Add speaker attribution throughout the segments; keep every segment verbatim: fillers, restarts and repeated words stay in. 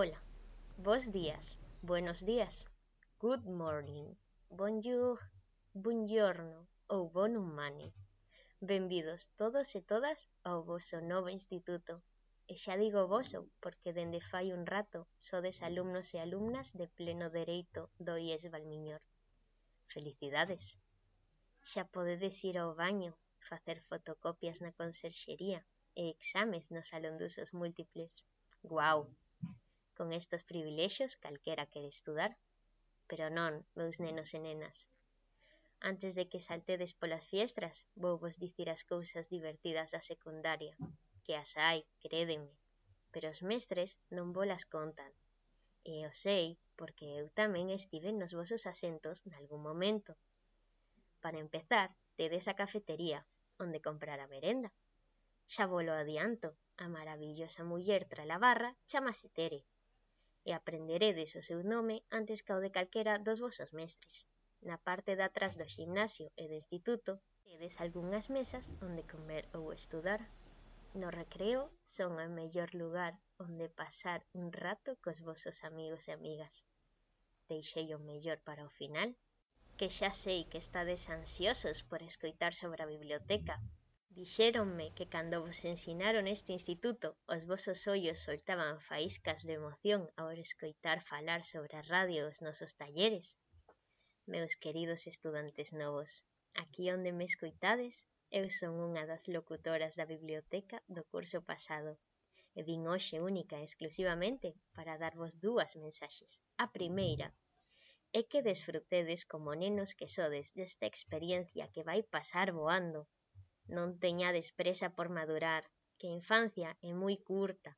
Speaker 1: Hola, bos días, buenos días, good morning, bonjour, buongiorno ou bon humane. Benvidos todos e todas ao voso novo instituto. E xa digo voso porque dende fai un rato sodes alumnos e alumnas de pleno dereito do I E S Valmiñor. Felicidades! Xa podedes ir ao baño, facer fotocopias na conserxería e exames no salón de usos múltiples. Guau! Con estes privilexios calquera quere estudar, pero non, meus nenos e nenas. Antes de que saltedes polas fiestras, vou vos dicir as cousas divertidas da secundaria, que as hai, crédenme, pero os mestres non volas contan. E o sei porque eu tamén estive nos vosos asentos nalgún momento. Para empezar, tedes a cafetería, onde comprar a merenda. Xa volo adianto, a maravillosa muller tra la barra chamase Tere, e aprenderedes o seu nome antes ca o de calquera dos vosos mestres. Na parte de atrás do ximnasio e do instituto tedes algunhas mesas onde comer ou estudar. No recreo son o mellor lugar onde pasar un rato cos vosos amigos e amigas. Deixei o mellor para o final, que xa sei que estades ansiosos por escoitar sobre a biblioteca. Dixéronme que cando vos ensinaron este instituto, os vosos ollos soltaban faíscas de emoción ao escoitar falar sobre a radio os nosos talleres. Meus queridos estudantes novos, aquí onde me escoitades, eu son unha das locutoras da biblioteca do curso pasado e vin hoxe única e exclusivamente para darvos dúas mensaxes. A primeira é que desfrutedes como nenos que sodes desta experiencia que vai pasar voando. Non teñades presa por madurar, que a infancia é moi curta.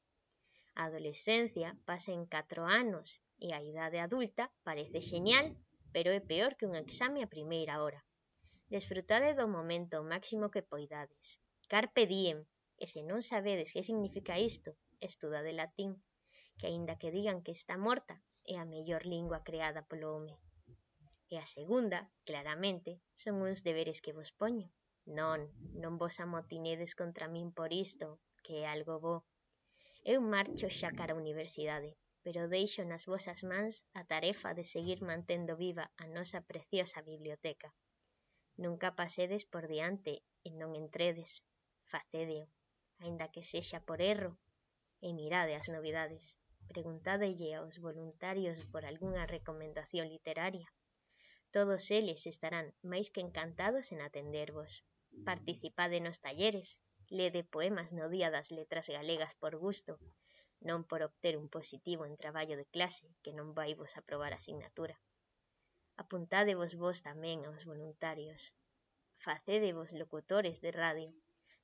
Speaker 1: A adolescencia pasa en catro anos e a idade adulta parece xenial, pero é peor que un exame a primeira hora. Desfrutade do momento o máximo que poidades. Carpe diem, e se non sabedes que significa isto, estudade latín, que aínda que digan que está morta, é a mellor lingua creada polo home. E a segunda, claramente, son uns deberes que vos poño. Non, non vos amotinedes contra min por isto, que é algo bo. Eu marcho xa cara á universidade, pero deixo nas vosas mans a tarefa de seguir mantendo viva a nosa preciosa biblioteca. Nunca pasedes por diante e non entredes. Facédeo, aínda que sexa por erro, e mirade as novidades. Preguntádelle aos voluntarios por algunha recomendación literaria. Todos eles estarán máis que encantados en atendervos. Participade nos talleres, lede poemas no Día das Letras Galegas por gusto, non por obter un positivo en traballo de clase que non vai vos aprobar a asignatura. Apuntádevos vos tamén aos voluntarios. Facédevos locutores de radio.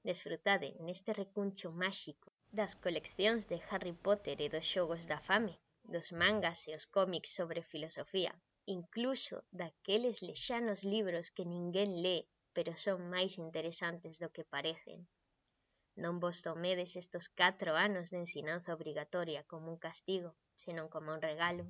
Speaker 1: Desfrutade neste recuncho máxico das coleccións de Harry Potter e dos xogos da fame, dos mangas e os cómics sobre filosofía, incluso daqueles lexanos libros que ninguén lé, pero son máis interesantes do que parecen. Non vos tomedes estos catro anos de ensinanza obrigatoria como un castigo, senón como un regalo.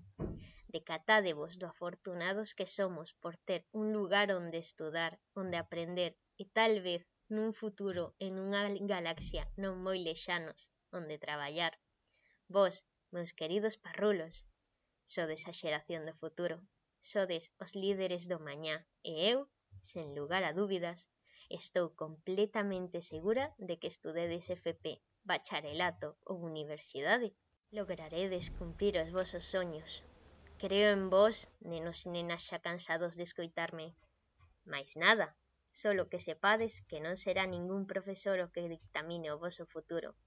Speaker 1: Decatádevos do afortunados que somos por ter un lugar onde estudar, onde aprender e tal vez nun futuro en unha galaxia non moi lexanos onde traballar. Vos, meus queridos parrulos, sodes a xeración do futuro, sodes os líderes do mañá e eu, sen lugar a dúbidas, estou completamente segura de que estudedes F P, bacharelato ou universidade. Lograredes cumprir os vosos soños. Creo en vos, nenos e nenas xa cansados de escoitarme. Mais nada, solo que sepades que non será ningún profesor o que dictamine o voso futuro.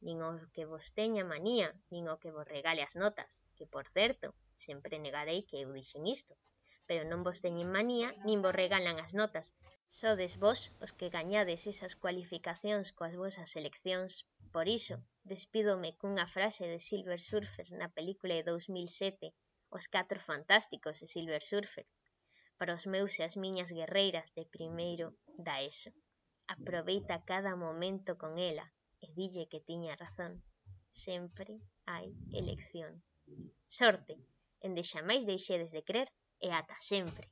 Speaker 1: Nin o que vos teña manía, nin o que vos regale as notas, que, por certo, sempre negarei que eu dixen isto. Pero non vos teñen manía, nin vos regalan as notas. Sodes vos os que gañades esas cualificacións coas vosas seleccións. Por iso, despídome cunha frase de Silver Surfer na película de dous mil sete, Os Catro Fantásticos de Silver Surfer, para os meus e as miñas guerreiras de primeiro da ESO. Aproveita cada momento con ela e dille que tiña razón. Sempre hai elección. Sorte, en de xamais deixedes de crer e ata sempre.